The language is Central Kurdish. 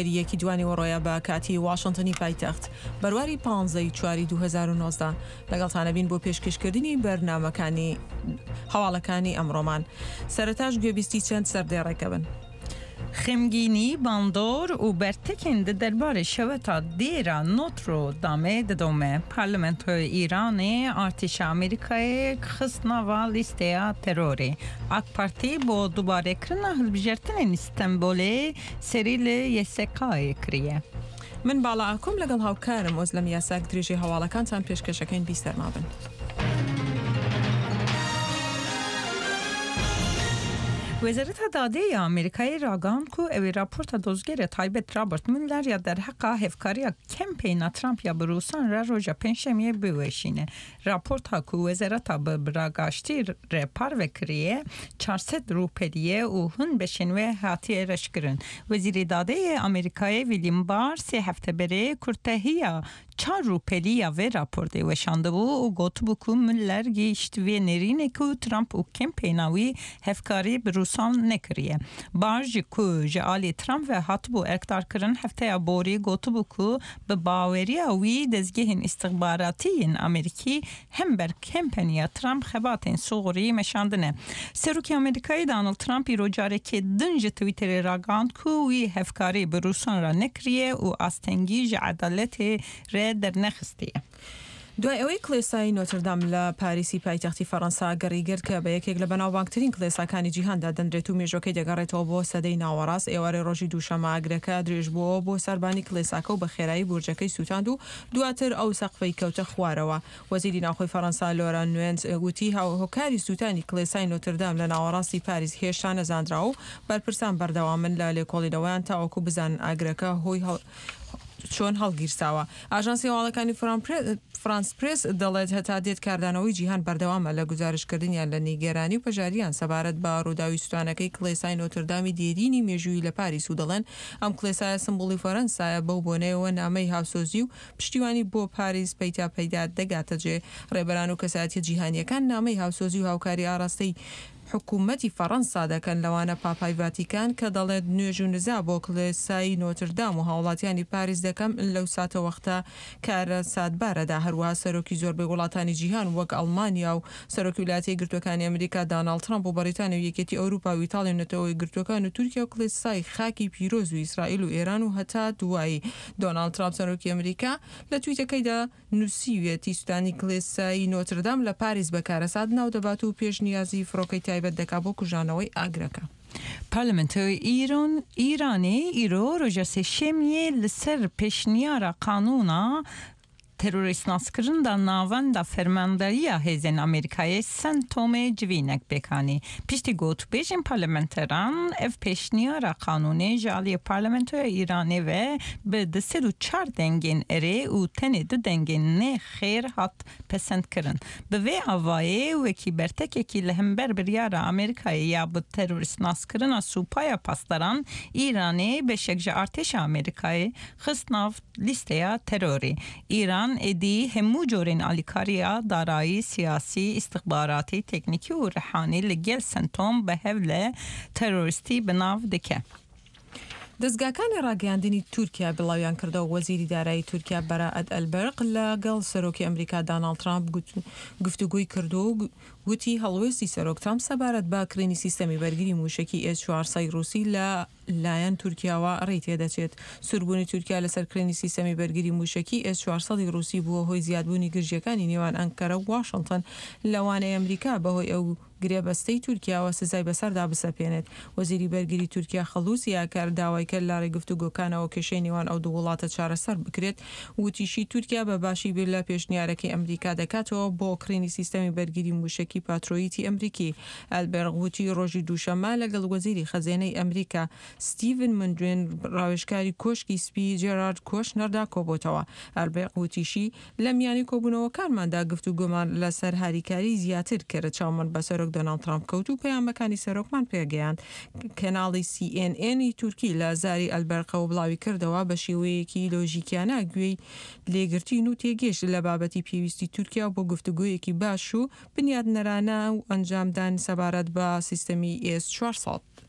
یەکی دوانیوەڕۆیە بە کاتی واشنتنی پایتەخت، بەرواری پانزە ی چواری 2019 لەگەڵتانەبین بۆ پێشکەشکردنی بەرنامەکانی هەواڵەکانی ئەمڕۆمان. سەرەتاش گوێبیستی چەند سەردێڕێکە بن. Xemgînî, bandor û bertekên di derbarê şeweta Dêra Notro Damê didome. Parlamentoya Îranê artêşa Amerîkayê xist nava lîsteya terorê. AK Partî bo dubarekirina hilbijartinên Stenbolê Serî li YSK'ê kiriye. من باڵا ئاکۆم لەگەڵ هاوکارم ئۆزلەم یاساک درێژەی هەواڵەکانتان پێشکەشەکەین بیسەرمابن. Wezareta Dadê ya Amerîkayê ragihand ku ew ê raporta dozgerê taybet Robert Mueller ya derheqa hevkariya kempeyna Trump ya bi Rûsan re roja Pêncşemiyê biweşîne. Raporta ku wezareta bi biragaştî re parve kiriye, 400 rûpelî ye û hin beşên wê hatiye reşkirin. Wezîrê Dadê yê Amerîkayê William Barr sê hefte berê kurtehiya çar rûpelî ya vê raportê weşandibû û gotibû ku Mueller gihîşt vê nêrînê ku Trump û kempeyna wî hevkarî bi Rûsan nekiriye. Barr ji ku ji aliyê Trump ve hatibû erkdarkirin hefteya borî gotibû ku Bi baweriya wî dezgehên îstixbaratî yên Amerîkî hember kempeniya Trump xebatên suxurî meşandine. Serokê Amerîkayê Donald Trump îro carekê din ji Twitterê ragihand ku wî hevkarî bi Rûsan re nekiriye û astengî ji edaletê re dernexistiye. دوای ئەوەی کڵێسای نۆتردام لە پاریسی پایتەختی فەرەنسا گڕی گرت کە بە یەکێک لە بەناوبانگترین کڵێساکانی جیهان دادەنرێت و مێژوەکەی دەگەڕێتەوە بۆ سەدەی ناوەڕاست، ئێوارەی ڕۆژی دووشەممە ئاگرەکە درێژبووەوە بۆ سەربانی کڵێساکە و بە خێرایی بورجەکەی سووتاند و دواتر ئەو سەقفەی کەوتە خوارەوە. وەزیری ناوخۆی فەرەنسا لۆران نوێنز وتی هۆکاری سووتانی کڵێسای نۆتردام لە ناوەڕاستی پاریس هێشتا نەزانراوە و بەرپرسان بەردەوامن لە لێکۆڵینەوەیان تاوەکو بزانن ئاگرەکە هۆی چۆن هەڵگیرساوە. ئاژانسی هەواڵەکانی فرانس پرێس دەڵێت هەتا دێت کاردانەوەی جیهان بەردەوامە لە گوزارشتکردنیان لە نیگەرانی و پەژاریان سەبارەت بە ڕووداوی سوتانەکەی کڵێسای نۆتردامی دێرینی مێژوویی لە پاریس و دەڵێن ئەم کڵێسایە سمبوڵی فەرەنسایە بەو بۆنەیەوە نامەی هاوسۆزی و پشتیوانی بۆ پاریس پەیتا پەیدا دەگاتە جێ ڕێبەران و کەسایەتیە جیهانیەکان نامەی هاوسۆزی و هاوکاری ئاراستەی حکومەتی فەڕەنسا دەکەن، لەوانە پاپای ڤاتیکان کە دەڵێت نوێژ و نزا بۆ کڵێسای نۆتردام و هاوڵاتیانی پاریس دەکەم لەو ساتەوەختە کارەساتبارەدا، هەروەها سەرۆکی زۆربەی وڵاتانی جیهان وەک ئەڵمانیا و سەرۆکی ولایەتە یەکگرتووەکانی ئەمریکا داناڵد ترەمپ و بەڕیتانیا و یەکێتی ئەوروپا و ئیتاڵیا و نەتەوە یەکگرتووەکان و تورکیا و کڵێسای خاکی پیرۆز و ئیسرائیل و ئێران و هەتا دوایی. دۆناڵد ترامپ سەرۆکی ئەمریکا لە تویتەکەیدا نووسیویەتی سوتانی کڵێسای نۆتردام لە پاریس بە کارەسات ناودەبات و پێشنیازی فڕۆکەی تایبەت دەکات بۆ کوژانەوەی ئاگرەکە. Parlamentoya Îran Îranê îro roja Sêşemiyê li ser pêşniyara qanûna terorîstnaskirinda Navenda Fermandariya Hêzên Amerîkayê CENTCOMê civînek pêk anî. Piştî gotûbêjên parlamenteran ev pêşniyara qanûnê ji aliyê Parlamentoya Îranê ve bi 204 dengên erê û tenê du dengên nê xêr hat pesendkirin. Bi vê avayê wekî bertekekî li hember biryara Amerîkayê ya bi terorîstnaskirina Supaya Pasdaran, Îranê beşek ji artêşa Amerîkayê xist nav lîsteya terorê. Îran êdî hemû corên alîkariya darayî, siyasî, îstixbaratî, teknîkî û rihanî li gel CENTCOM bi hev li terorîstî bi nav dike. دەزگاکانی ڕاگەیاندنی تورکیا بڵاویانکردەوە، وەزیری دارایی تورکیا بەرائەت ئەلبەرق لەگەڵ سەرۆکی ئەمریکا داناڵد ترامپ گفتوگۆی کردووە و وتی هەڵوێستی سەرۆک ترامپ سەبارەت بە کڕینی سیستەمی بەرگری مووشەکی ئێس 400 ڕووسی لە لایەن تورکیاوە ڕێی تێدەچێت. سووربوونی تورکیا لەسەر کڕینی سیستەمی بەرگری مووشەکی ئێس 400 ڕووسی بووە هۆی زیادبوونی گرژییەکانی نێوان ئەنکەرە و واشنتن، لەوانەیە ئەمریکا بەهۆی ئەو گرێبەستەی تورکیاوە سزای بەسەردا بسەپێنێت. وەزیری بەرگری تورکیا خەڵوسی ئاکار داوای کرد لە ڕێی گفتوگۆکانەوە کێشەی نێوان ئەو دوو وڵاتە چارەسەر بکرێت. وتیشی تورکیا بە باشی بیر لە پێشنیارەکەی ئەمریکا دەکاتەوە بۆ کڕینی سیستەمی بەرگری موشەکی پاترۆیتی ئەمریکی. ئەلبێرغ وتی ڕۆژی دووشەممە لەگەڵ وەزیری خەزێنەی ئەمریکا ستیڤن مندوین ڕاوێژکاری کۆشکی سپی جێرارد کۆشنەردا کۆبۆتەوە. ئەلبێرغ وتیشی لە میانی کۆبوونەوەکانماندا گفتوگۆمان لەسەر هاریکاریی زیاتر کرد، چاومان بە سەرۆک دۆناڵد ترامپ کەوت و پەیامەکانی سەرۆکمان پێگەیاند. کەناڵی سی ئێن ئێن ی تورکی لە زاری ئەلبەرقەوە بڵاویکردەوە، بە شێوەیەکی لۆژیکیانە گوێی لێگرتین و تێگەیشت لە بابەتی پێویستی تورکیا بۆ گفتوگۆیەکی باش و بنیاتنەرانە و ئەنجامدان سەبارەت بە سیستەمی ئێس 400.